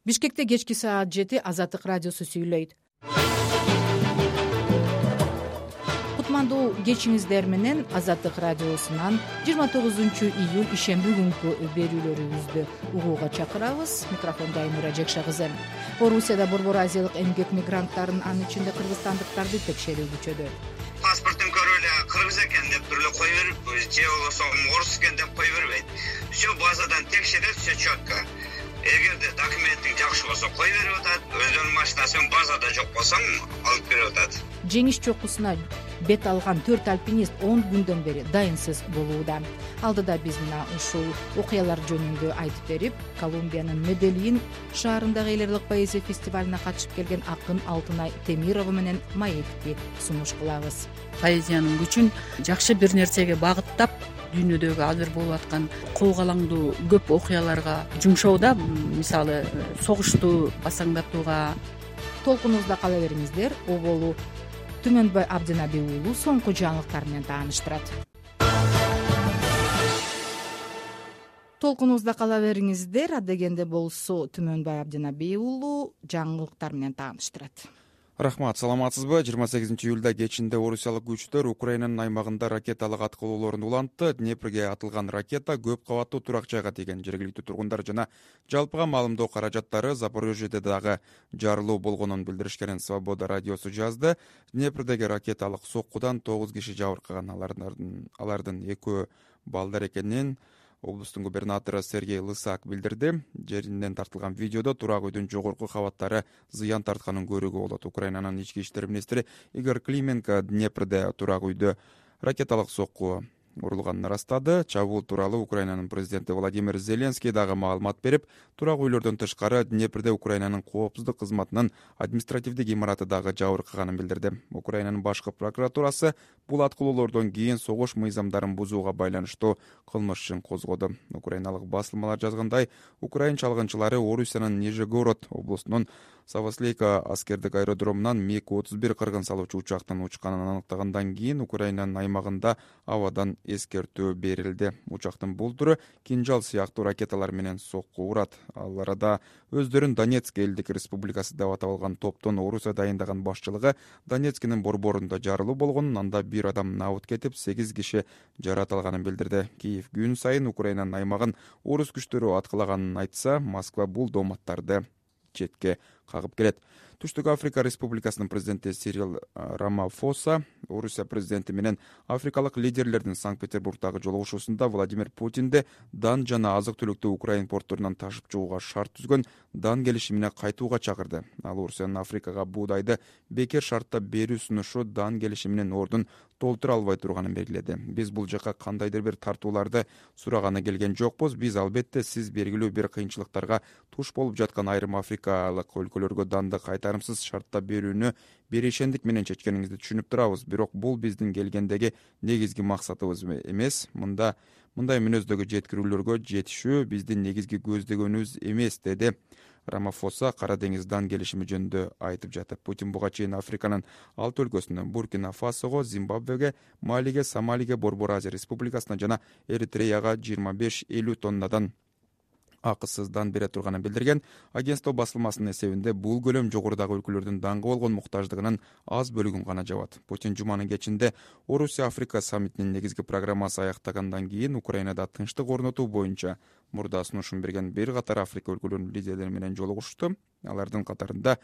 Бишкекте кечки саат 7 Азаттык радиосу сүйлөйт. Кутмандуу кечиңиздер менен Азаттык радиосунан 29 июль ишемби күнкү берүүлөрүбүздү угууга чакырабыз. Микрофонда Айнура Жекша кызы. Орусияда Борбор Азиялык эмгек мигранттарын, анын ичинде кыргызстандыктарды текшерүү күчөдү. Паспортун көрүп эле кыргыз экен деп туруп эле кой берип, же болбосо орус экен деп кой бербейт. Все базадан текшерет, все четко. Эгерде документиң жакшы болсо кой берип атат, өзүнүн машинасын базада жок болсоң алып берип атат. Жеңиш чокусуна бет алган 4 альпинист 10 күндөн бери дайынсыз болууда. Алдыда биз мына ушул окуялар жөнүндө айтып берип, Колумбиянын Медельин шаарындагы эл эрлик поэзия фестивалына катышып келген акын Алтынай Темирова менен маекти сунуш кылабыз. Поэзиянын күчүн жакшы бир нерсеге багыттап, дүйнөдөгү азыр болуп аткан коогалаңдуу көп окуяларга жумшоодо, мисалы согушту басаңдатууга. Толкунубузда кала бериңиздер. Оболу Түмөнбай Абдинаби уулу соңку жаңылыктар менен тааныштырат. Толкунубузда кала бериңиздер. Адегенде болсо Түмөнбай Абдинаби уулу жаңылыктар менен тааныштырат. Рахмат, саламатсызбы? 28 июлда кечинде орусиялык күчтөр Украинанын аймагында ракеталык аткылоолорун улантты. Днепрге атылган ракета көп кабаттуу турак жайга тийген. Жергиликтүү тургундар жана жалпыга маалымдоо каражаттары Запорожьеде дагы жарылуу болгонун билдиришкенин Свобода радиосу жазды. Днепрдеги ракеталык соккудан 9 киши жабыркаган. Алардын экөө балдар экенин облустун губернатору Сергей Лысак билдирди. Жеринен тартылган видеодо турак үйдүн жогорку кабаттары зыян тартканын көрүүгө болот. Украинанын ички иштер министри Игорь Клименко Днепрде турак үйдө ракеталык сокку урулганын ырастады. Чабуул тууралуу Украинанын президенти Владимир Зеленский дагы маалымат берип, турак үйлөрдөн тышкары Днепрде Украинанын коопсуздук кызматынын административдик имараты дагы жабыркаганын билдирди. Украинанын башкы прокуратурасы бул аткылоолордон кийин согуш мыйзамдарын бузууга байланыштуу кылмыш ишин козгоду. Украиналык басылмалар жазгандай, украин чалгынчылары Орусиянын Нижегород облусунун Савослейка аскердик аэродромунан МиГ-31 кыргын салуучу учактын учканын аныктагандан кийин Украинанын аймагында абадан эскертүү берилди. Учактын булдуру кинжал сыяктуу ракеталар менен сокку урат. Ал арада өздөрүн Донецк элдик республикасы деп атап алган топтун Орусия дайындаган башчылыгы Донецктин борборунда жарылуу болгонун, анда 1 адам набыт кетип, 8 киши жаракат алганын билдирди. Киев күн сайын Украинанын аймагын орус күчтөрү аткылаганын айтса, Москва бул дооматтарды четке кагып келет. Түштүк Африка Республикасынын президенти Сирил Рамафоса Орусия президенти менен африкалык лидерлердин Санкт-Петербургдагы жолугушуусунда Владимир Путинди дан жана азык-түлүктү Украин портторунан ташып чыгууга шарт түзгөн дан келишимине кайтууга чакырды. Ал Орусиянын Африкага буудайды бекер шартта берүү сунушу дан келишиминин ордун толтура албай турганын белгиледи. Биз бул жака кандайдыр бир тартууларды сураганы келген жокпуз. Биз албетте сиз белгилүү бир кыйынчылыктарга туш болуп жаткан айрым африкалык өлкөлөргө данды кайтарымсыз шартта берүүнү беришендик менен чечкениңизди түшүнүп турабыз. Бирок бул биздин келгендеги негизги максатыбыз эмес. Мындай мүнөздөгү жеткирүүлөргө жетишүү биздин негизги көздөгөнүбүз эмес, деди Рамафоса Кара деңиз дан келишими жөнүндө айтып жатып. Путин буга чейин Африканын 6 өлкөсүнө, Буркина Фасого, Зимбабвеге, Малиге, Сомалиге, Борбор Азия Республикасына жана Эритреяга 25-50 тоннадан акысыз дан бере турганын билдирген. Агентство басылмасынын эсебинде бул көлөм жогорудагы өлкөлөрдүн данга болгон муктаждыгынын аз бөлүгүн гана жабат. Путин жуманын кечинде Орусия Африка саммитинин негизги программасы аяктагандан кийин Украинада тынчтык орнотуу боюнча мурда сунушун берген бир катар Африка өлкөлөрүнүн лидерлери менен жолугушту. Алардын катарында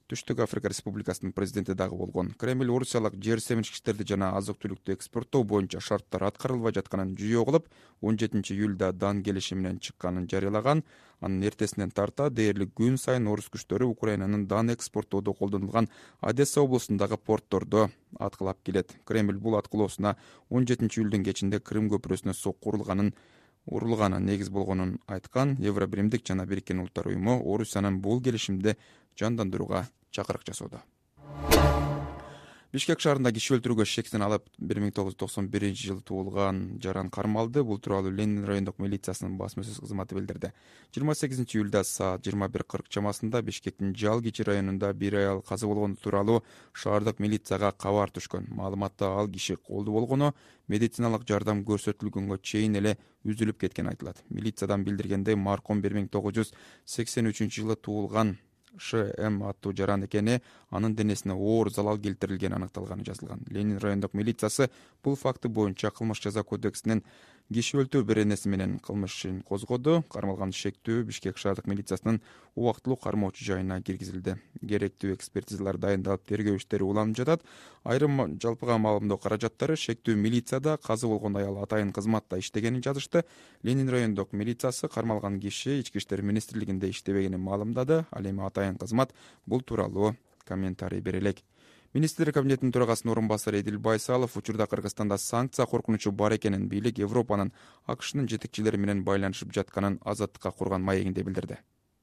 Түштүк Африка Республикасынын президенти дагы болгон. Кремль орусиялык жер семчкичтерди жана азык-түлүктү экспорттоо боюнча шарттар аткарылбай жатканын жүйө кылып, 17 июлда дан келишими менен чыкканын жарыялаган. Анын эртесинен тарта дээрлик күн сайын орус күчтөрү Украинанын дан экспорттоодо колдонулган Одесса облусундагы порттордо аткылап келет. Кремль бул аткылоосуна 17 июлдун кечинде Крым көпүрөсүнө сокку урулганы негиз болгонун айткан. Евробиримдик жана Бириккен Улуттар уюму Орусиянын бул келишимди жандандырууга чакырык жасоодо. Бишкек шаарында киши өлтүрүүгө шектен алып 1991-жылы туулган Жаран кармалды. Бул тууралуу Ленин райондук милициясынын басма сөз кызматы билдирди. 28-июлда саат 21:40 чамасында Бишкектин Жалгичи районунда бир аял каза болгону тууралуу шаардык милицияга кабар түшкөн. Маалыматта ал киши колду болгону, медициналык жардам көрсөтүлгөнгө чейин эле үзүлүп кеткени айтылат. Милициядан билдиргендей, маркум 1983-жылы туулган Ш.М. аттуу жаран экени, анын денесине оор залал келтирилгени аныкталганы жазылган. Ленин райондук милициясы бул факты боюнча кылмыш жаза кодексинин киши өлтүрүү беренеси менен кылмыш ишин козгоду. Кармалган шектүү Бишкек шаардык милициясынын убактылуу кармоочу жайына киргизилди. Керектүү экспертизалар дайындалып, тергөө иштери уланып жатат. Айрым жалпыга маалымдоо каражаттары шектүү милицияда каза болгон аял атайын кызматта иштегенин жазышты. Ленин райондук милициясы кармалган киши Ички иштер министрлигинде иштебегенин маалымдады. Ал эми атайын кызмат бул тууралуу комментарий бере элек. Министрлер кабинетинин төрагасынын орун басары Эдил Байсалов учурда Кыргызстанда санкция коркунучу бар экенин, бийлик Европанын АКШнын жетекчилери менен байланышып жатканын Азаттыкка курган маегинде билдирди.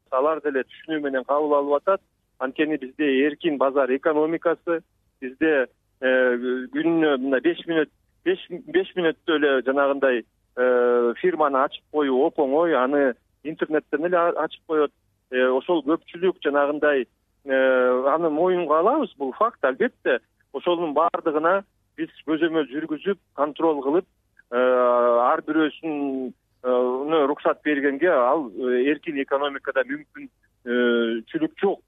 Алар деле түшүнүү менен кабыл алып атат. Анткени бизде эркин базар экономикасы, бизде күнүнө мына 5 мүнөттө эле жанагындай фирманы ачып коюу оп оңой, аны интернеттен эле ачып коет. Ошол көпчүлүк жанагындай аны моюнга алабыз, бул факт албетте. Ошонун баардыгына биз көзөмөл жүргүзүп, контроль кылып, ар бирөөсүн уруксат бергенге ал эркин экономикада мүмкүнчүлүк жок.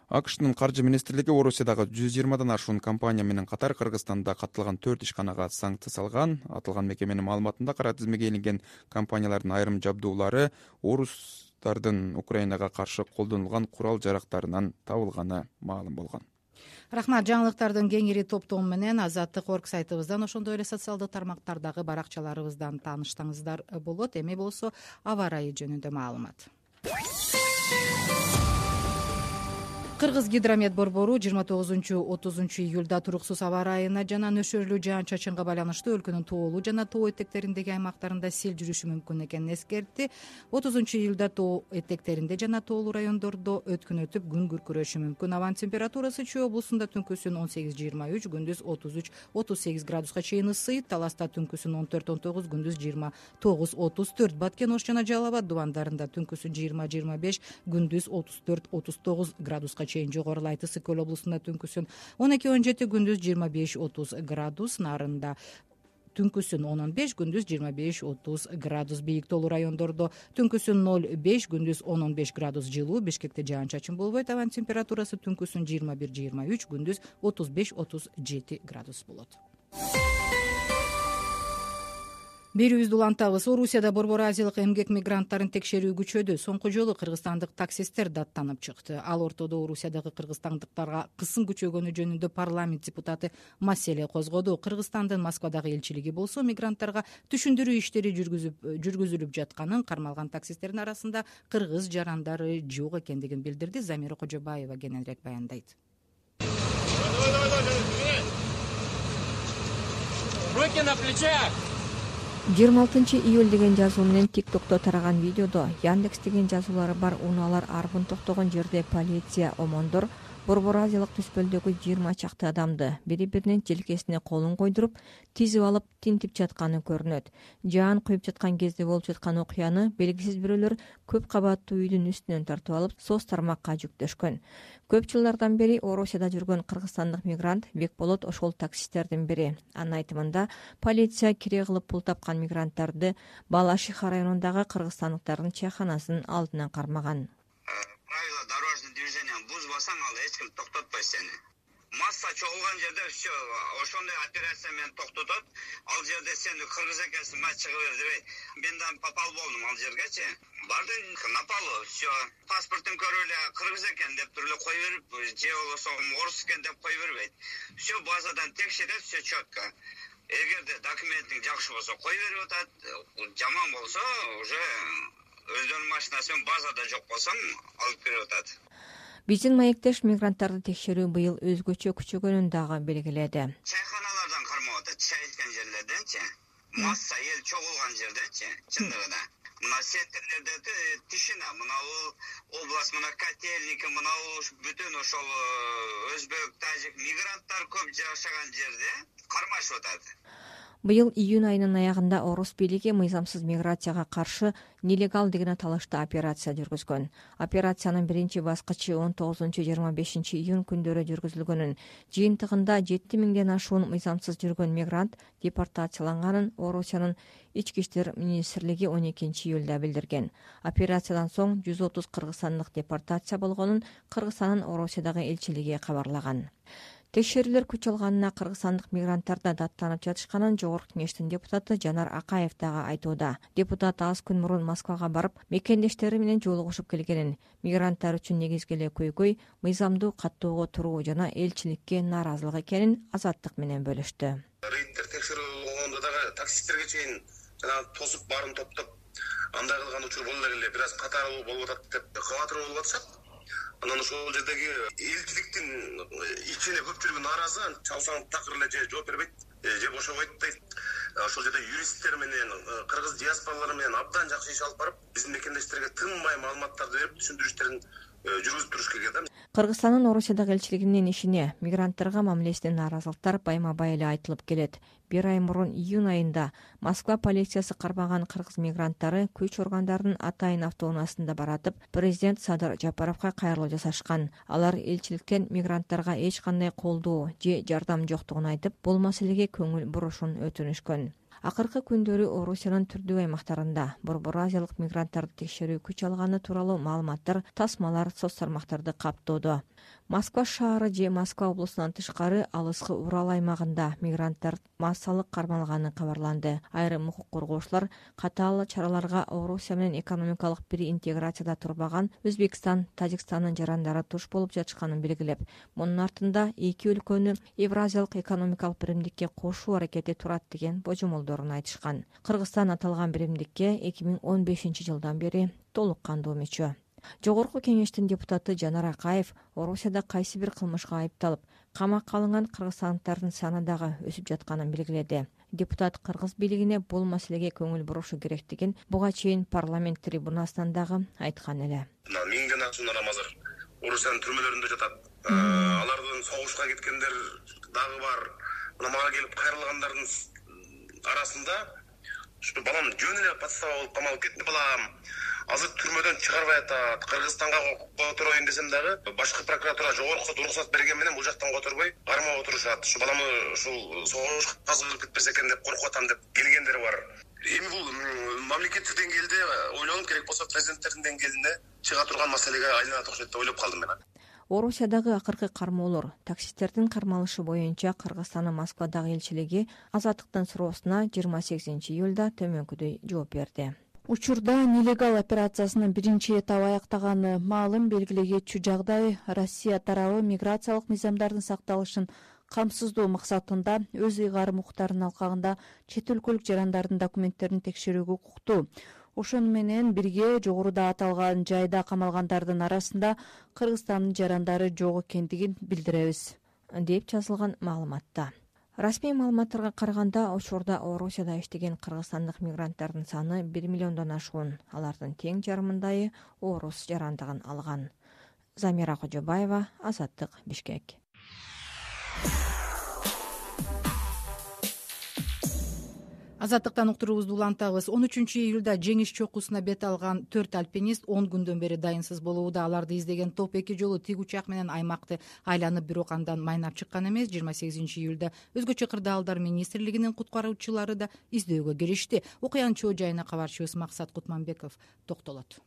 АКШнын каржы министрлиги Орусиядагы 120дан ашуун компания менен катар Кыргызстанда катталган 4 ишканага санкция салган. Аталган мекеменин маалыматында кара тизмеге илинген компаниялардын айрым жабдуулары орустардын Украинага каршы колдонулган курал-жарактарынан табылганы маалым болгон. Рахмат. Жаңылыктардын кеңири топтому менен Азаттык.орг сайтыбыздан, ошондой эле социалдык тармактардагы баракчаларыбыздан тааныштаңыздар болот. Эми болсо аба ырайы жөнүндө маалымат. Кыргыз гидромет борбору 29-30 июлда туруксуз аба ырайына жана нөшөрлүү жаан-чачынга байланыштуу өлкөнүн тоолуу жана тоо этектериндеги аймактарында сел жүрүшү мүмкүн экенин эскертти. 30 июлда тоо этектеринде жана тоолуу райондордо өткүн өтүп, күн күркүрөшү мүмкүн. Абанын температурасы Чүй облусунда түнкүсүн 18-23, күндүз 33-38 градуска чейин ысыйт. Таласта түнкүсүн 14-19, күндүз 29-34. Баткен, Ош жана Жалал Абад дубандарында түнкүсүн 20-25, күндүз 34-39 градуска чейин жогорулайт. Ысык Көл облусунда түнкүсүн 12-17, күндүз 25-30 градус. Нарында түнкүсүн 10-15, күндүз 25-30 градус. Бийик тоолуу райондордо түнкүсүн 0-5, күндүз 10-15 градус жылуу. Бишкекте жаан-чачын болбойт. Абанын температурасы түнкүсүн 21-23, күндүз 35-37 градус болот. Берүүбүздү улантабыз. Орусияда Борбор Азиялык эмгек мигранттарын текшерүү күчөдү. Соңку жолу кыргызстандык таксисттер даттанып чыкты. Ал ортодо Орусиядагы кыргызстандыктарга кысым күчөгөнү жөнүндө парламент депутаты маселе козгоду. Кыргызстандын Москвадагы элчилиги болсо мигранттарга түшүндүрүү иштери жүргүзүлүп жатканын, кармалган таксистердин арасында кыргыз жарандары жок экендигин билдирди. Замира Кожобаева кененирээк баяндайт. Руки на плечах! 26 июль деген жазуу менен TikTok'то тараган видеодо Яндекс деген жазуулары бар унаалар арбын токтогон жерде полиция омондор Борбор Азиялык түспөлдөгү 20 чакты адамды бири-биринин желкесине колун койдуруп, тизип алып тинтип жатканы көрүнөт. Жаан куюп жаткан кезде болуп жаткан окуяны белгисиз бирөөлөр көп кабаттуу үйдүн үстүнөн тартып алып, соц тармакка жүктөшкөн. Көп жылдардан бери Орусияда жүргөн кыргызстандык мигрант Бекболот ошол таксисттердин бири. Анын айтымында, полиция кире кылып пул тапкан мигранттарды Балашиха районундагы кыргызстандыктардын чайханасынын алдына кармаган. Правила дорожного движения бузбасаң, ал эч ким токтотпойт сени. Масса чогулган жерде все ошондой операция менен токтотот. Ал жерде сен кыргыз экенсиң, ма чыгып бер дебей. Мен да попал болдум ал жергечи. Бардым напалы, все. Паспортун көрүп эле кыргыз экен деп туруп эле кой берип, же болбосо орус экен деп кой бербейт. Все базадан текшерет, все четко. Эгерде документиң жакшы болсо кой берип атат, жаман болсо уже өздөрүнүн машинасы базада жок болсом алып берип атат. Биздин маектеш мигранттарды текшерүү быйыл өзгөчө күчөгөнүн дагы белгиледи. Чайханалардан кармап атат, чай ичкен жерлерденчи, масса эл чогулган жерденчи, чындыгында. мына сетерлерде тишина, мына область, мына котельники, мына бүтүн ошол өзбек, тажик мигранттар көп жашаган жерде кармашып атат. Быйыл июнь айынын аягында орус бийлиги мыйзамсыз миграцияга каршы нелегал деген аталышта операция жүргүзгөн. Операциянын биринчи баскычы 19-25 июнь күндөрү жүргүзүлгөнүн, жыйынтыгында 7000ден ашуун мыйзамсыз жүргөн мигрант депортацияланганын Орусиянын ички иштер министрлиги 12 июлда билдирген. Операциядан соң 130 кыргызстандык депортация болгонун Кыргызстандын Орусиядагы элчилиги кабарлаган. Текшерүүлөр күч алганына кыргызстандык мигранттар да даттанып жатышканын Жогорку Кеңештин депутаты Жанар Акаев дагы айтууда. Депутат аз күн мурун Москвага барып, мекендештери менен жолугушуп келгенин, мигранттар үчүн негизги эле көйгөй мыйзамдуу каттоого туруу жана элчиликке нааразылык экенин Азаттык менен бөлүштү. Рейдтер текшерүү болгондо дагы таксисттерге чейин жана тосуп баарын топтоп андай кылган учур болду эле, бир аз катар болуп атат деп кабатыр болуп атышат. Анан ошол жердеги элчиликтин ичине көпчүлүгү нааразы, чалсаң такыр эле же жооп бербейт, же бошобойт дейт. Ошол жерде юристтер менен, кыргыз диаспоралары менен абдан жакшы иш алып барып, биздин мекендештерге тынбай маалыматтарды берип, түшүндүрүштөрүн жүргүзүп туруш керек да. Кыргызстандын Орусиядагы элчилигинин ишине мигранттарга мамилесине нааразылыктар байма-бай эле айтылып келет. Bir ай мурун июнь айында Москва полициясы кармаган кыргыз мигранттары күч органдарынын атайын автоунаасында баратып, президент Садыр Жапаровго кайрылуу жасашкан. Алар элчиликтен мигранттарга эч кандай колдоо же жардам жоктугун айтып, бул маселеге көңүл бурушун өтүнүшкөн. Акыркы күндөрү Орусиянын түрдүү аймактарында Борбор Азиялык мигранттарды текшерүү күч алганы тууралуу маалыматтар, тасмалар соц тармактарды каптоодо. Москва шаары же Москва облусунан тышкары алыскы Урал аймагында мигранттар массалык кармалганы кабарланды. Айрым укук коргоочулар катаал чараларга Орусия менен экономикалык бир интеграцияда турбаган Өзбекстан, Тажикстандын жарандары туш болуп жатышканын белгилеп, мунун артында эки өлкөнү Евразиялык экономикалык биримдикке кошуу аракети турат деген божомолдорун айтышкан. Кыргызстан аталган биримдикке 2015-жылдан бери толук кандуу мүчө. Жогорку Кеңештин депутаты Жанар Акаев Орусияда кайсы бир кылмышка айыпталып, камакка алынган кыргызстандыктардын саны дагы өсүп жатканын белгиледи. Депутат кыргыз бийлигине бул маселеге көңүл бурушу керектигин буга чейин парламент трибунасынан дагы айткан эле. Миңден ашуун адам азыр Орусиянын түрмөлөрүндө жатат. Алардын согушка кеткендер дагы бар. Мына мага келип кайрылгандардын арасында ушу балам жөн эле подстава болуп камалып кетти балам. Азыр түрмөдөн чыгарбай атат. Кыргызстанга котороюн десем дагы башкы прокуратура жогорку уруксат берген менен бул жактан которбой кармап отурушат. Ушу баламы ушул согушка кызыгып кетпесе экен деп коркуп атам деп келгендер бар. Эми бул мамлекеттик деңгээлде ойлонуп керек болсо президенттердин деңгээлинде чыга турган маселеге айланат окшойт деп ойлоп калдым мен. Орусиядагы акыркы кармоолор, таксисттердин кармалышы боюнча Кыргызстандын Москвадагы элчилиги Азаттыктын суроосуна 28 июлда төмөнкүдөй жооп берди. Учурда нелегал операциясынын биринчи этабы аяктаганы маалым белгилегечү жагдай Россия тарабы миграциялык мыйзамдардын сакталышын камсыздоо максатында өз ыйгарым укуктарынын алкагында чет өлкөлүк жарандардын документтерин текшерүүгө укуктуу. Ошону менен бирге жогоруда аталган жайда камалгандардын арасында Кыргызстандын жарандары жок экендигин билдиребиз, деп жазылган маалыматта. Расмий маалыматтарга караганда, учурда Орусияда иштеген кыргызстандык мигранттардын саны 1 миллиондон ашуун. Алардын тең жарымындайы орус жарандыгын алган. Замира Кожобаева, Азаттык, Бишкек. Азаттыктан уктуруубузду улантабыз. 13 июлда жеңиш чокусуна бет алган 4 альпинист 10 күндөн бери дайынсыз болууда. Аларды издеген топ 2 жолу тик учак менен аймакты айланып, бирок андан майнап чыккан эмес. 28 июлда өзгөчө кырдаалдар министрлигинин куткаруучулары да издөөгө киришти. Окуянын чоо жайына кабарчыбыз Максат Кутманбеков токтолот.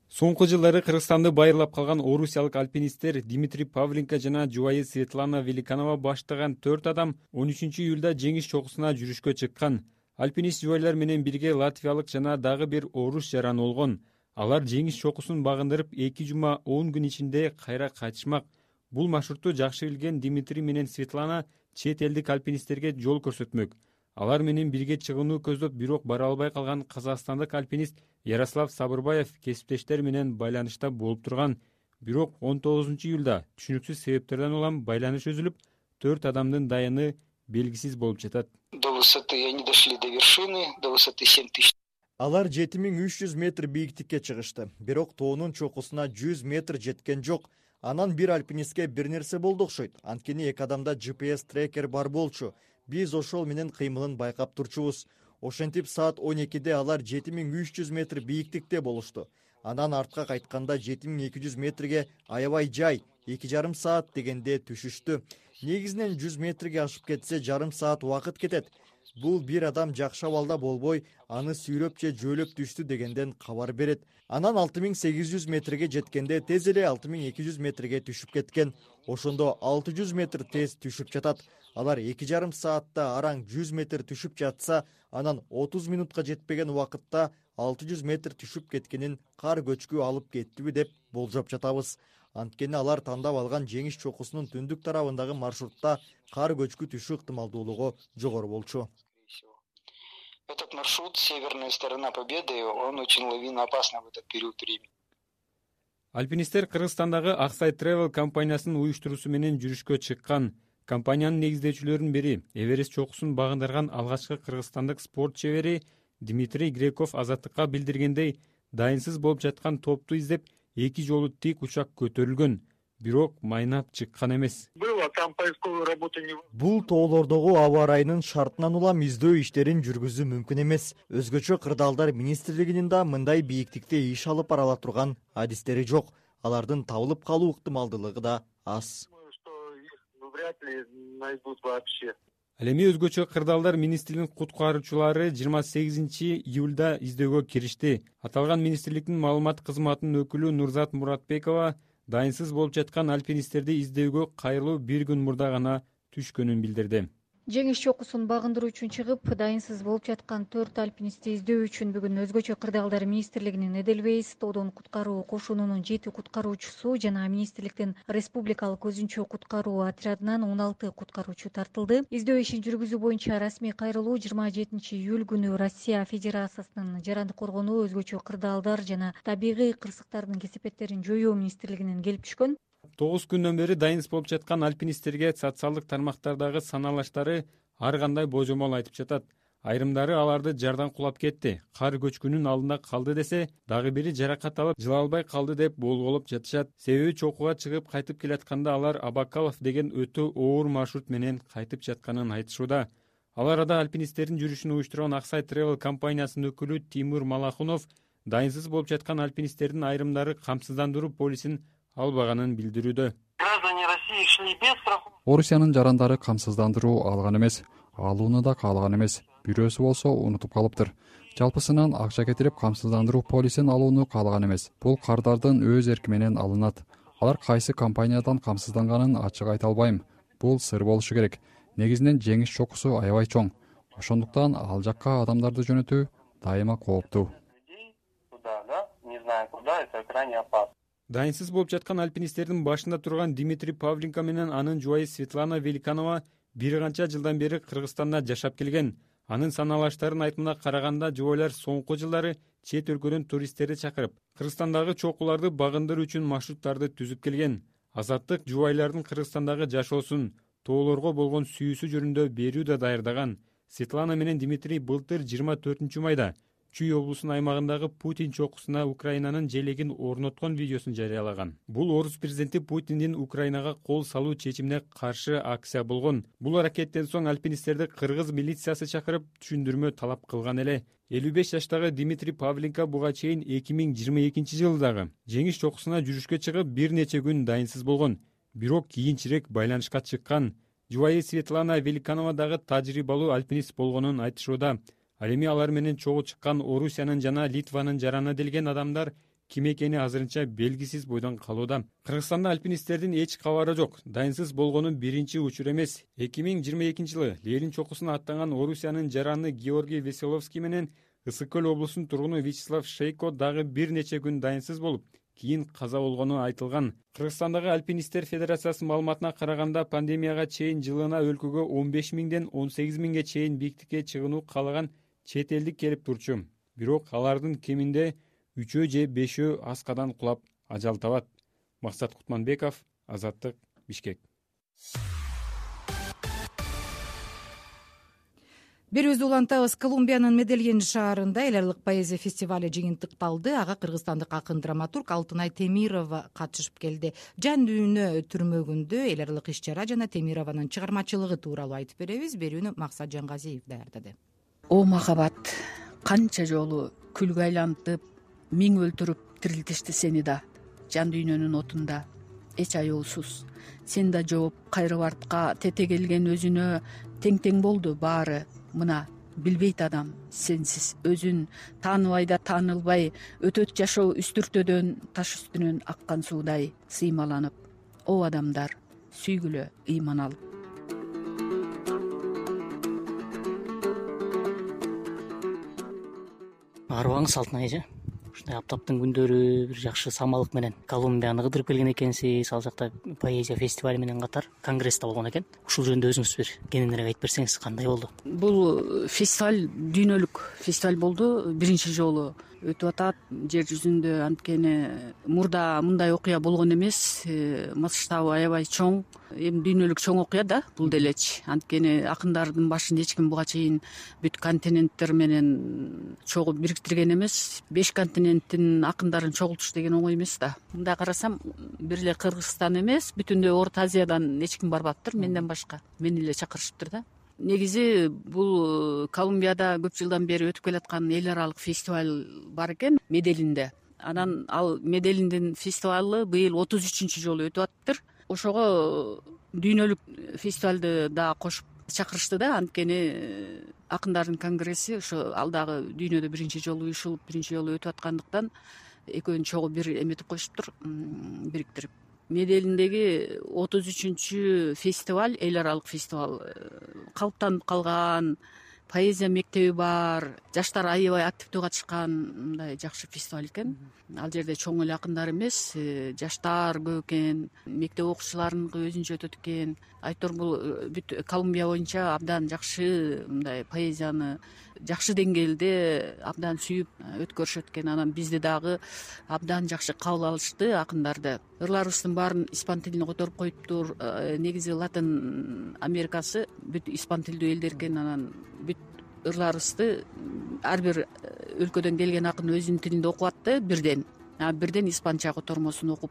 Соңку жылдары Кыргызстанды байырлап калган орусиялык альпинисттер Дмитрий Павленко жана жубайы Светлана Великанова баштаган 4 адам 13 июлда жеңиш чокусуна жүрүшкө чыккан. Альпинист жубайлар менен бирге латвиялык жана дагы бир орус жаран болгон. Алар жеңиш чокусун багындырып 2 жума 10 күн ичинде кайра кайтышмак. Бул маршруту жакшы билген Дмитрий менен Светлана чет элдик альпинисттерге жол көрсөтмөк. Алар менен бирге чыгууну көздөп, бирок бара албай калган казакстандык альпинист Ярослав Сабырбаев кесиптештер менен байланышта болуп турган. Бирок 19 июлда түшүнүксүз себептерден улам байланыш үзүлүп, 4 адамдын дайыны белгисиз болуп жатат. До высоты они дошли до вершины, до высоты 7000. Алар 7300 метр бийиктикке чыгышты. Бирок тоонун чокусуна 100 метр жеткен жок. Анан бир альпинистке бир нерсе болду окшойт. Анткени эки адамда GPS трекер бар болчу. Биз ошол менен кыймылын байкап турчубуз. Ошентип саат 12-де алар 7300 метр бийиктикте болушту. Анан артка кайтканда 7200 метрге аябай жай 2,5 саат дегенде түшүштү. Негизинен 100 метрге ашып кетсе жарым саат убакыт кетет. Бул бир адам жакшы абалда болбой, аны сүйрөп же жөөлөп түштү дегенден кабар берет. Анан 6800 метрге жеткенде тез эле 6200 метрге түшүп кеткен. Ошондо 600 метр тез түшүп жатат. Алар 2,5 саатта араң 100 метр түшүп жатса, анан 30 минутка жетпеген убакытта 600 метр түшүп кеткенин кар көчкү алып кеттиби деп болжоп жатабыз. Анткени алар тандап алган жеңиш чокусунун түндүк тарабындагы маршрутта кар көчкү түшүү ыктымалдуулугу жогору болчу. Этот маршрут, северная сторона Победы, он очень лавиноопасный в этот период времени. Альпинисттер Кыргызстандагы Аксай Travel компаниясынын уюштуруусу менен жүрүшкө чыккан. Компаниянын негиздөөчүлөрүнүн бири Эверест чокусун багындырган алгачкы кыргызстандык спорт чебери Дмитрий Греков Азаттыкка билдиргендей, дайынсыз болуп жаткан топту издеп 2 жолу тик учак көтөрүлгөн, бирок майнап чыккан эмес. Бул тоолордогу аба ырайынын шартынан улам издөө иштерин жүргүзүү мүмкүн эмес. Өзгөчө кырдаалдар министрлигинин да мындай бийиктикте иш алып бара ала турган адистери жок. Алардын табылып калуу ыктымалдуулугу да аз. Ал эми өзгөчө кырдаалдар министрлигинин куткаруучулары 28 июлда издөөгө киришти. Аталган министрликтин маалымат кызматынын өкүлү Нурзат Муратбекова дайынсыз болуп жаткан альпинисттерди издөөгө кайрылуу бир күн мурда гана түшкөнүн билдирди. Жеңиш чокусун багындыруу үчүн чыгып, дайынсыз болуп жаткан 4 альпинистти издөө үчүн бүгүн өзгөчө кырдаалдар министрлигинин Эдельвейс тоодон куткаруу кошунунун 7 куткаруучусу жана министрликтин республикалык өзүнчө куткаруу отрядынан 16 куткаруучу тартылды. Издөө ишин жүргүзүү боюнча расмий кайрылуу 27 июль күнү Россия Федерациясынын жарандык коргонуу, өзгөчө кырдаалдар жана табигый кырсыктардын кесепеттерин жоюу министрлигинен келип түшкөн. 9 күндөн бери дайынсыз болуп жаткан альпинисттерге социалдык тармактардагы саналаштары ар кандай божомол айтып жатат. Айрымдары аларды жардан кулап кетти, кар көчкүнүн алдында калды десе, дагы бири жаракат алып жыла албай калды деп болголоп жатышат. Себеби чокуга чыгып кайтып келатканда алар Абакалов деген өтө оор маршрут менен кайтып жатканын айтышууда. Ал арада альпинисттердин жүрүшүн уюштурган Аксай Travel компаниясынын өкүлү Тимур Малахунов дайынсыз болуп жаткан альпинисттердин айрымдары камсыздандыруу полисин албаганын билдирүүдө. Орусиянын жарандары камсыздандыруу алган эмес, алууну да каалаган эмес. Бирөөсү болсо унутуп калыптыр. Жалпысынан акча кетирип камсыздандыруу полисин алууну каалаган эмес. Бул кардардын өз эрки менен алынат. Алар кайсы компаниядан камсызданганын ачык айта албайм. Бул сыр болушу керек. Негизинен жеңиш чокусу аябай чоң. Ошондуктан ал жакка адамдарды жөнөтүү дайыма кооптуу. Дайынсыз болуп жаткан альпинисттердин башында турган Дмитрий Павленко менен анын жубайы Светлана Великанова бир канча жылдан бери Кыргызстанда жашап келген. Анын саналаштарынын айтымына караганда жубайлар соңку жылдары чет өлкөдөн туристтерди чакырып, Кыргызстандагы чокуларды багындыруу үчүн маршруттарды түзүп келген. Азаттык жубайлардын Кыргызстандагы жашоосун, тоолорго болгон сүйүүсү жөнүндө берүү да даярдаган. Светлана менен Дмитрий былтыр 24 майда Чүй облусунун аймагындагы Путин чокусуна Украинанын желегин орноткон видеосун жарыялаган. Бул орус президенти Путиндин Украинага кол салуу чечимине каршы акция болгон. Бул аракеттен соң альпинисттерди кыргыз милициясы чакырып түшүндүрмө талап кылган эле. 55 жаштагы Дмитрий Павленко буга чейин 2022 жылдагы жеңиш чокусуна жүрүшкө чыгып бир нече күн дайынсыз болгон. Бирок кийинчерээк байланышка чыккан. Жубайы Светлана Великанова дагы тажрыйбалуу альпинист болгонун айтышууда. Ал эми алар менен чогуу чыккан Орусиянын жана Литванын жараны делген адамдар ким экени азырынча белгисиз бойдон калууда. Кыргызстанда альпинисттердин эч кабары жок. Дайынсыз болгону биринчи учур эмес. 2022 жылы Ленин чокусуна аттанган Орусиянын жараны Георгий Веселовский менен Ысык көл облусунун тургуну Вячеслав Шейко дагы бир нече күн дайынсыз болуп, кийин каза болгону айтылган. Кыргызстандагы альпинисттер федерациясынын маалыматына караганда пандемияга чейин жылына өлкөгө 15 миңден 18 миңге чейин бийиктикке чыгууну каалаган чет элдик келип турчу. Бирок алардын кеминде 3 же 5 аскадан кулап ажал табат. Максат Кутманбеков, Азаттык, Бишкек. берүүбүздү улантабыз. Колумбиянын Медельин шаарында эл аралык поэзия фестивале жыйынтыкталды. Ага кыргызстандык акын драматург Алтынай Темирова катышып келди. Жан дүйнө түрмөгүндө эл аралык иш чара жана Темированын чыгармачылыгы тууралуу айтып беребиз. Берүүнү Максат Жангазиев даярдады. О махабат, канча жолу күлгө айлантып, миң өлтүрүп тирилтишти сени да, жан дүйнөнүн отунда эч аяусуз. Сен да жооп кайрып артка тете келген өзүнө тең болду баары. Мына билбейт адам сенсиз өзүн, тааныбай да таанылбай, өтөт жашоо үстүртөдөн таш үстүнөн аккан суудай сыймаланып. О адамдар, сүйгүлө ыйман алып. Арыбаңыз Алтынай эже. Ушундай аптаптын күндөрү бир жакшы самалык менен Колумбияны кыдырып келген экенсиз. Ал жакта поэзия фестивали менен катар конгресс да болгон экен. Ушул жөнүндө өзүңүз бир кененирээк айтып берсеңиз кандай болду? Бул фестиваль дүйнөлүк фестиваль болду. Биринчи жолу өтүп атат жер жүзүндө. Анткени мурда мындай окуя болгон эмес. Масштабы аябай чоң. Эми дүйнөлүк чоң окуя да бул делечи. Анткени акындардын башын эч ким буга чейин бүт континенттер менен чогуу бириктирген эмес. 5 континенттин акындарын чогултуш деген оңой эмес да. Мындай карасам бир эле Кыргызстан эмес, бүтүндөй Орто Азиядан эч ким барбаптыр менден башка. Мени эле чакырышыптыр да. Негизи бул Колумбияда көп жылдан бери өтүп келаткан эл аралык фестиваль бар экен Меделинде. Анан ал Меделиндин фестивалы быйыл 33-чү жолу өтүп атыптыр. Ошого дүйнөлүк фестивалды да кошуп чакырышты да. Анткени акындардын конгресси ошо ал дагы дүйнөдө биринчи жолу уюшулуп, биринчи жолу өтүп аткандыктан экөөнү чогуу бир эметип коюшуптур, бириктирип. Меделиндеги 33-чү фестиваль, эл аралык фестиваль калыптанып калган, поэзия мектеби бар, жаштар аябай активдүү катышкан мындай жакшы фестиваль экен. Ал жерде чоң эле акындар эмес, жаштар көп экен, мектеп окуучуларыныкы өзүнчө өтөт экен. Айтор бул бүт Колумбия боюнча абдан жакшы мындай поэзияны жакшы деңгээлде абдан сүйүп өткөрүшөт экен. Анан бизди дагы абдан жакшы кабыл алышты акындарды. Ырларыбыздын баарын испан тилине которуп коюптур. Негизи Латын Америкасы бүт испан тилдүү элдер экен. Анан бүт ырларыбызды ар бир өлкөдөн келген акын өзүнүн тилинде окуп атты бирден. Бирден испанча котормосун окуп,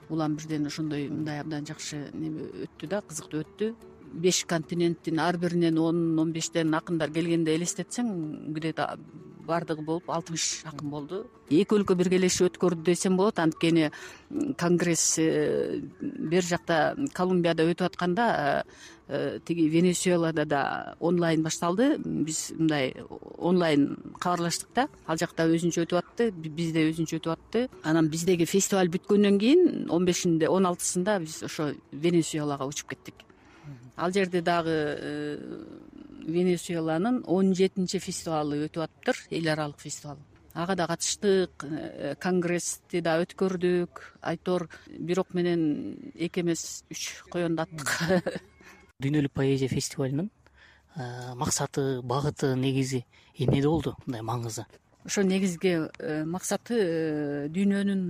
улам бирден ошондой мындай абдан жакшы неме өттү да, кызыктуу өттү. 5 континенттин ар биринен 10-15тен акындар келгенде элестетсең, где-то бардыгы болуп 60 акын болду. Эки өлкө биргелешип өткөрдү десем болот. Анткени конгресс бер жакта Колумбияда өтүп атканда тиги Венесуэлада да онлайн башталды. Биз мындай онлайн кабарлаштык да. Ал жакта өзүнчө өтүп атты, бизде өзүнчө өтүп атты. Анан биздеги фестиваль бүткөндөн кийин 15-inde 16-сында биз ошо Венесуэлага учуп кеттик. Ал жерде дагы Венесуэланын 17-чи фестивалы өтүп атыптыр, эл аралык фестиваль. Ага да катыштык, конгрессти да өткөрдүк. Айтор бирок менен 2 эмес 3 коёндаттык. Дүйнөлүк поэзия фестивалынын максаты, багыты негизи эмнеде болду, мындай маңызы? Ошо негизги максаты дүйнөнүн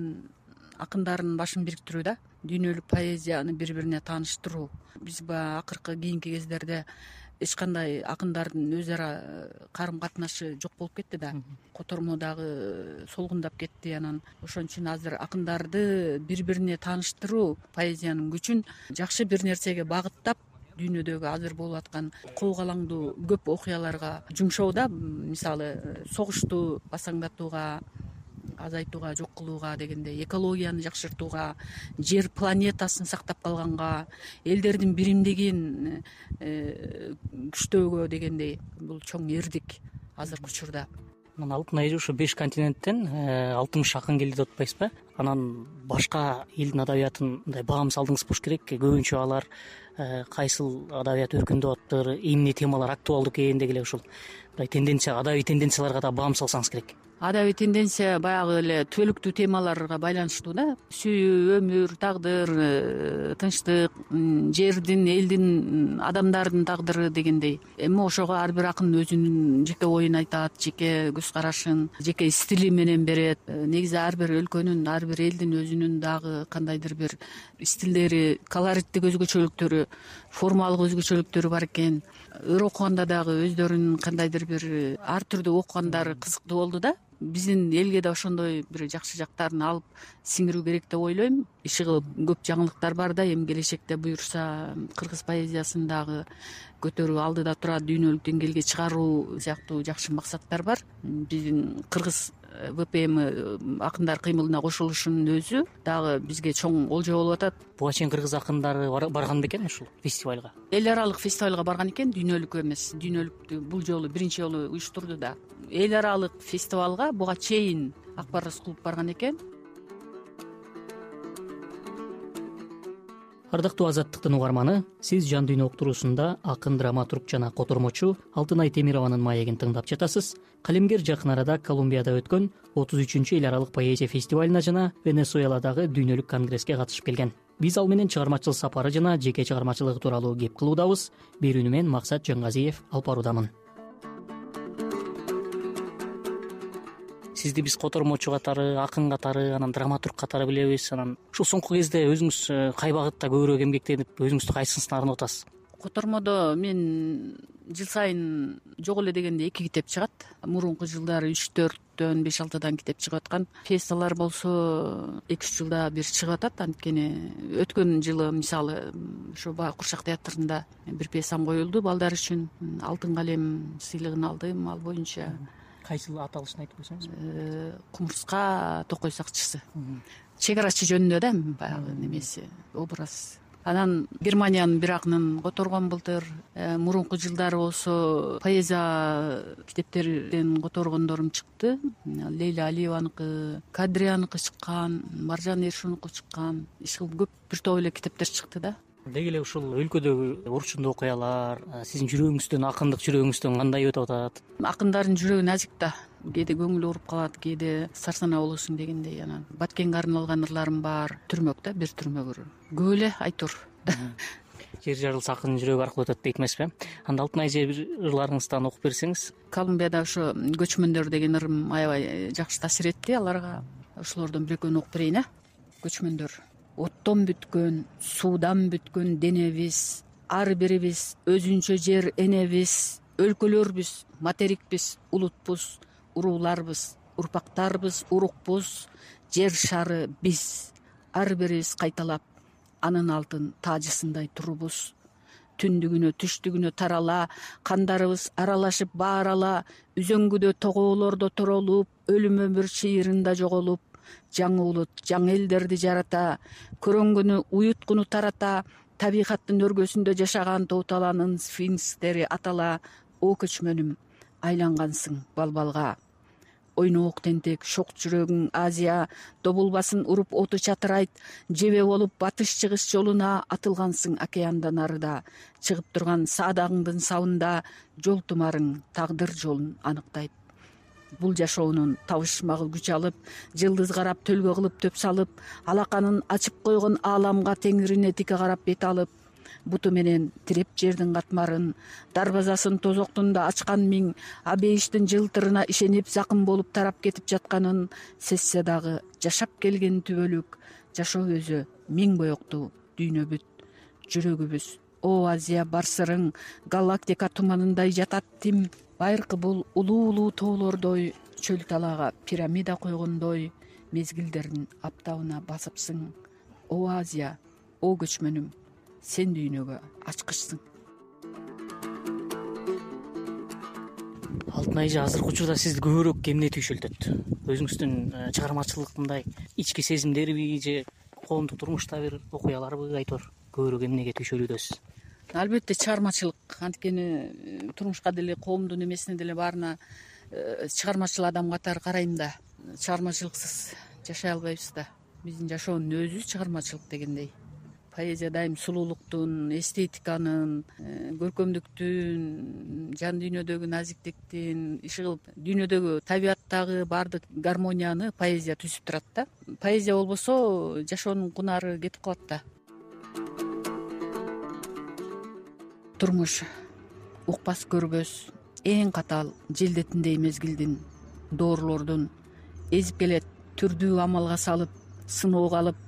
акындарынын башын бириктирүү да. Дүйнөлүк поэзияны бири-бирине тааныштыруу. Биз баягы акыркы кийинки кездерде эч кандай акындардын өз ара карым катнашы жок болуп кетти да. Котормо дагы солгундап кетти. Анан ошон үчүн азыр акындарды бири-бирине тааныштыруу, поэзиянын күчүн жакшы бир нерсеге багыттап, дүйнөдөгү азыр болуп аткан коогалаңдуу көп окуяларга жумшоодо, мисалы согушту басаңдатууга, азайтууга, жок кылууга дегендей, экологияны жакшыртууга, жер планетасын сактап калганга, элдердин биримдигин күчтөөгө дегендей, бул чоң эрдик азыркы учурда. Мына Алтынай эже, ушу 5 континенттен 60 акын келди деп атпайсызбы? Анан башка элдин адабиятын мындай баам салдыңыз болуш керек. Көбүнчө алар кайсыл адабият өркүндөп атыптыр, эмне темалар актуалдуу экен дегиле ушул мындай тенденция, адабий тенденцияларга да баам салсаңыз керек. адабий тенденция баягы эле түбөлүктүү темаларга байланыштуу да. Сүйүү, өмүр, тагдыр, тынчтык, жердин, элдин, адамдардын тагдыры дегендей. Эми ошого ар бир акын өзүнүн жеке оюн айтат, жеке көз карашын, жеке стили менен берет. Негизи ар бир өлкөнүн, ар бир элдин өзүнүн дагы кандайдыр бир стилдери, колориттик өзгөчөлүктөрү, формалык өзгөчөлүктөрү бар экен. Ыр окуганда дагы өздөрүнүн кандайдыр бир ар түрдүү окугандары кызыктуу болду да. Биздин элге да ошондой бир жакшы жактарын алып сиңирүү керек деп ойлойм. Иши кылып көп жаңылыктар бар да. Эми келечекте буюрса кыргыз поэзиясын дагы көтөрүү, алдыда турат дүйнөлүк деңгээлге чыгаруу сыяктуу жакшы максаттар бар. Биздин кыргыз ВПМ акындар кыймылына кошулушунун өзү дагы бизге чоң олжо болуп атат. Буга чейин кыргыз акындары барган бекен ушул фестивалга? Эл аралык фестивалга барган экен, дүйнөлүк эмес. Дүйнөлүктү бул жолу биринчи жолу уюштурду да. Эл аралык фестивалга буга чейин Акбар Рыскулов барган экен. Ардактуу Азаттыктын угарманы, сиз Жан дүйнө уктуруусунда акын, драматург жана котормочу Алтынай Темированын маегин тыңдап жатасыз. Калемгер жакын арада Колумбияда өткөн 33-эл аралык поэзия фестивалына жана Венесуэладагы дүйнөлүк конгресске катышып келген. Биз ал менен чыгармачыл сапары жана жеке чыгармачылыгы тууралуу кеп кылуудабыз. Берүүнү мен Максат Жангазиев алып баруудамын. Сизди биз котормочу катары, акын катары, анан драматург катары билебиз. Анан ушул соңку кезде өзүңүз кай багытта көбүрөөк эмгектенип, өзүңүздү кайсысына арнап атасыз? Котормодо мен жыл сайын жок эле дегенде 2 китеп чыгат. Мурунку жылдары 3-4төн 5-6 китеп чыгып аткан. Пьесалар болсо 2-3 жылда бир чыгып атат. Анткени өткөн жылы мисалы ушу Курчак театрында бир пьесам коюлду балдар үчүн. Алтын калем сыйлыгын алдым. Ал боюнча кайсыл аталышын айтып койсоңуз? Кумурска токой сакчысы. Чек арачы жөнүндө да баягы немеси, образ. Анан Германиянын бир акынын которгон былтыр. Мурунку жылдары болсо поэзия китептерден которгондорум чыкты. Лейла Алиеваныкы, Кадрияныкы чыккан, Маржан Эршунуку чыккан. Иш кылып көп бир топ эле китептер чыкты да. Деги эле ушул өлкөдөгү урчундуу окуялар сиздин жүрөгүңүздөн, акындык жүрөгүңүздөн кандай өтүп атат? Акындардын жүрөгү назик да. Кээде көңүлү уруп калат, кээде сарсанаа болосуң дегендей. Анан Баткенге арналган ырларым бар. Түрмөк да, бир түрмөк. Көп эле айтор. Жер жарылса акындын жүрөгү аркылуу өтөт дейт эмеспи? Анда Алтынай эже бир ырларыңыздан окуп берсеңиз. Колумбияда ошо көчмөндөр деген ырым аябай жакшы таасир этти аларга. Ошолордон бир экөөнү окуп берейин, Көчмөндөр. Оттон бүткөн, суудан бүткөн денебиз, ар бирибиз өзүнчө жер энебиз, өлкөлөрбүз, материкпиз, улутпуз, урууларбыз, урпактарбыз, урукпуз, жер шары биз, ар бирибиз кайталап анын алтын таажысындай турубуз. Түндүгүнө, түштүгүнө тарала, кандарыбыз аралашып баарала, үзөңгүдө тоголордо торолуп, өлүм өмүр чыйырында жоголуп, жаңы улут, жаңы элдерди жарата, көрөнгөнү уюткуну тарата, табигаттын өргөсүндө жашаган тооталанын сфинкстери атала. О көчмөнүм, айлангансың балбалга. Ойноок тентек, шок жүрөгүң Азия, добулбасын уруп оту чатырайт, жебе болуп батыш-чыгыш жолуна атылгансың океандан арыда. Чыгып турган саадагыңдын сабында жол тумарың тагдыр жолун аныктайт. Бул жашоонун табышмагы күч алып, жылдыз карап төлгө кылып төп салып, алаканын ачып койгон ааламга теңирине тике карап бет алып, буту менен тиреп жердин катмарын, дарбазасын тозоктунда ачкан миң, абейиштин жылтырына ишенип закым болуп тарап кетип жатканын сезсе дагы, жашап келген түбөлүк, жашоо өзү миң боектуу дүйнө бүт. Жүрөгүбүз, о Азия бар сырың, галактика туманындай жатат тим. Байыркы бул улуу тоолордой, чөл талаага пирамида койгондой, мезгилдердин аптабына басыпсың. О Азия, о көчмөнүм, сен дүйнөгө ачкычсың. Алтынай эже, азыркы учурда сизди көбүрөөк эмне түйшөлтөт? Өзүңүздүн чыгармачылыктындай ички сезимдерби же коомдук турмушта бир окуяларбы айтор? Көбүрөөк эмнеге түйшөлүүдөсүз? Албетте чыгармачылык. Анткени турмушка деле, коомдун эмесине деле баарына чыгармачыл адам катары карайм да. Чыгармачылыксыз жашай албайбыз да. Биздин жашоонун өзү чыгармачылык дегендей. поэзия дайым сулуулуктун, эстетиканын, көркөмдүктүн, жан дүйнөдөгү назиктиктин, иши кылып дүйнөдөгү табияттагы баардык гармонияны поэзия түзүп турат да. Поэзия болбосо жашоонун кунары кетип калат да. Турмуш укпас көрбөс эң катаал желдетиндей мезгилдин, доорлордун эзип келет түрдүү амалга салып, сыноого алып,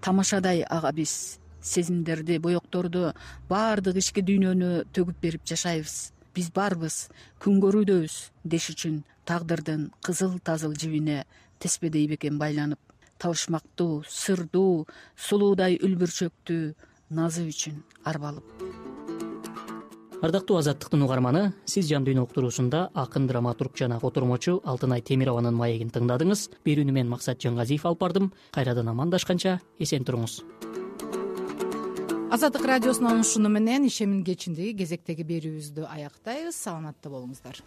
тамашадай ага биз сезимдерди, боекторду, баардык ички дүйнөнү төгүп берип жашайбыз. Биз барбыз, күн көрүүдөбүз деш үчүн тагдырдын кызыл тазыл жибине теспедей бекен байланып, табышмактуу, сырдуу, сулуудай үлбүрчөктүү назы үчүн арбалып. Ардактуу Азаттыктын угарманы, сиз Жан дүйнө уктуруусунда акын, драматург жана котормочу Алтынай Темированын маегин тыңдадыңыз. Берүүнү мен Максат Жангазиев алып бардым. Кайрадан амандашканча эсен туруңуз. Азаттык радиосунун ушуну менен ишемин кечиндеги кезектеги берүүбүздү аяктайбыз. Саламатта болуңуздар.